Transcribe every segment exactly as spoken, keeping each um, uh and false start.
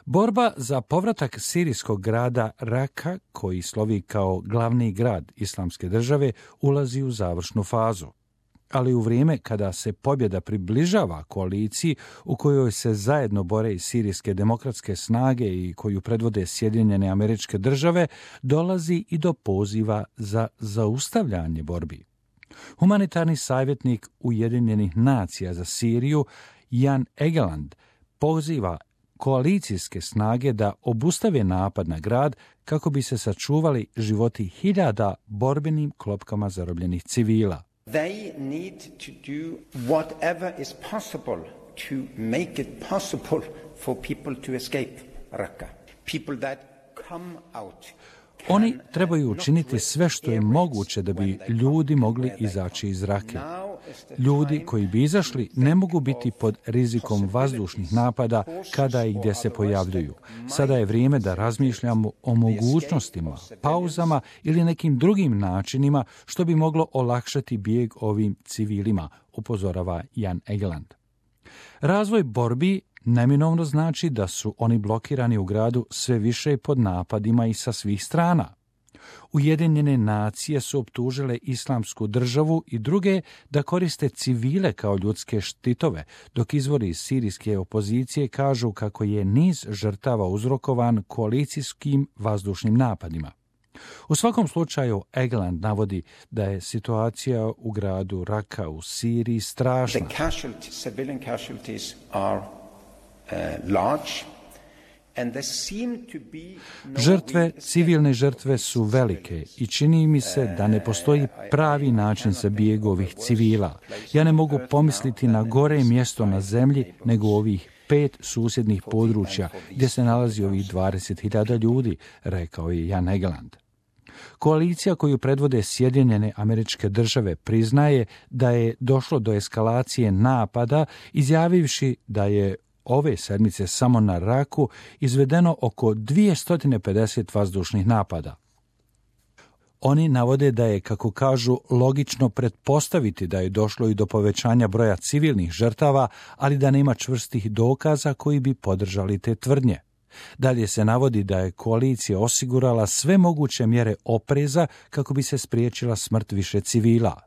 Borba za povratak sirijskog grada Raka, koji slovi kao glavni grad Islamske države, ulazi u završnu fazu. Ali u vrijeme kada se pobjeda približava koaliciji u kojoj se zajedno bore i sirijske demokratske snage i koju predvode Sjedinjene Američke Države, dolazi i do poziva za zaustavljanje borbi. Humanitarni savjetnik Ujedinjenih nacija za Siriju Jan Egeland poziva koalicijske snage da obustave napad na grad kako bi se sačuvali životi hiljada borbenim klopkama zarobljenih civila. They need to do whatever is possible to make it possible for people to escape Raqqa. People that come out. Oni trebaju učiniti sve što je moguće da bi ljudi mogli izaći iz Rake. Ljudi koji bi izašli ne mogu biti pod rizikom vazdušnih napada kada i gdje se pojavljuju. Sada je vrijeme da razmišljamo o mogućnostima, pauzama ili nekim drugim načinima što bi moglo olakšati bijeg ovim civilima, upozorava Jan Egeland. Razvoj borbi neminovno znači da su oni blokirani u gradu sve više pod napadima i sa svih strana. Ujedinjene nacije su optužile Islamsku državu i druge da koriste civile kao ljudske štitove, dok izvori iz sirijske opozicije kažu kako je niz žrtava uzrokovan koalicijskim vazdušnim napadima. U svakom slučaju, Egeland navodi da je situacija u gradu Raka u Siriji strašna. The casualties, civilian casualties are uh, large. Žrtve, civilne žrtve su velike i čini mi se da ne postoji pravi način za bijeg ovih civila. Ja ne mogu pomisliti na gore mjesto na zemlji nego ovih pet susjednih područja gdje se nalazi ovih dvadeset hiljada ljudi, rekao je Jan Egeland. Koalicija koju predvode Sjedinjene Američke Države priznaje da je došlo do eskalacije napada, izjavivši da je ove sedmice samo na Raku izvedeno oko dvjesto pedeset vazdušnih napada. Oni navode da je, kako kažu, logično pretpostaviti da je došlo i do povećanja broja civilnih žrtava, ali da nema čvrstih dokaza koji bi podržali te tvrdnje. Dalje se navodi da je koalicija osigurala sve moguće mjere opreza kako bi se spriječila smrt više civila.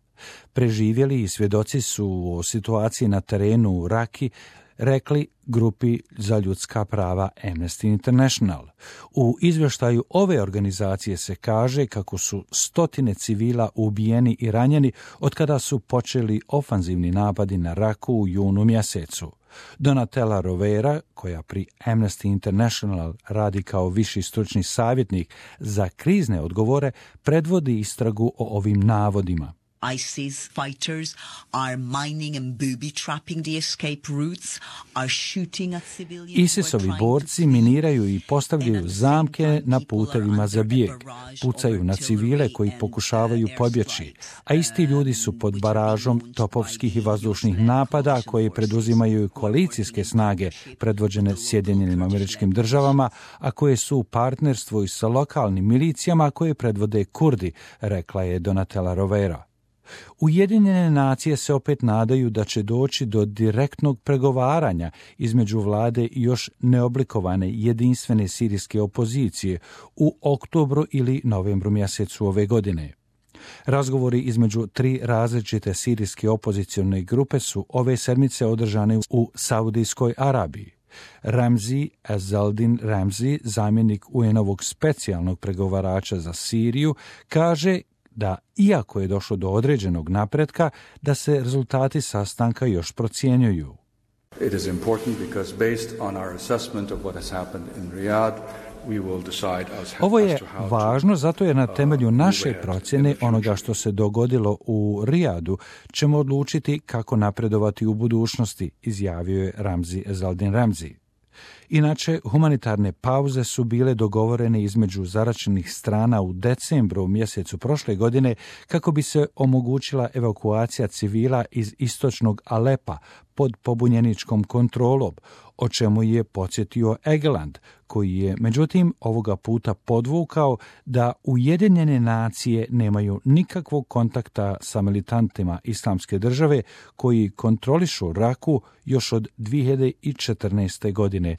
Preživjeli i svjedoci su o situaciji na terenu u Raki rekli grupi za ljudska prava Amnesty International. U izvještaju ove organizacije se kaže kako su stotine civila ubijeni i ranjeni od kada su počeli ofanzivni napadi na Raku u junu mjesecu. Donatella Rovera, koja pri Amnesty International radi kao viši stručni savjetnik za krizne odgovore, predvodi istragu o ovim navodima. ISIS fighters are mining and booby-trapping the escape routes, are shooting at civilians. ISIS-ovi borci miniraju i postavljaju zamke na putevima za bijeg, pucaju na civile koji pokušavaju pobjeći, a isti ljudi su pod baražom topovskih i vazdušnih napada koje preduzimaju koalicijske snage predvođene Sjedinjenim Američkim Državama, a koje su u partnerstvu i sa lokalnim milicijama koje predvode Kurdi, rekla je Donatella Rovera. Ujedinjene nacije se opet nadaju da će doći do direktnog pregovaranja između vlade i još neoblikovane jedinstvene sirijske opozicije u oktobru ili novembru mjesecu ove godine. Razgovori između tri različite sirijske opozicione grupe su ove sedmice održane u Saudijskoj Arabiji. Ramzi Ezzaldin Ramzi, zamjenik U N-ovog specijalnog pregovarača za Siriju, kaže da iako je došlo do određenog napretka, da se rezultati sastanka još procjenjuju. It is important because based on our assessment of what has happened in Riyadh, we will decide as Ovo je to how važno zato jer na temelju naše procjene onoga što se dogodilo u Rijadu ćemo odlučiti kako napredovati u budućnosti, izjavio je Ramzi Ezzaldin Ramzi. Inače, humanitarne pauze su bile dogovorene između zaračenih strana u decembru mjesecu prošle godine kako bi se omogućila evakuacija civila iz istočnog Alepa pod pobunjeničkom kontrolom, o čemu je podsjetio Egeland, koji je međutim ovoga puta podvukao da Ujedinjene nacije nemaju nikakvog kontakta sa militantima Islamske države koji kontrolišu Raku još od dvije hiljade četrnaeste godine.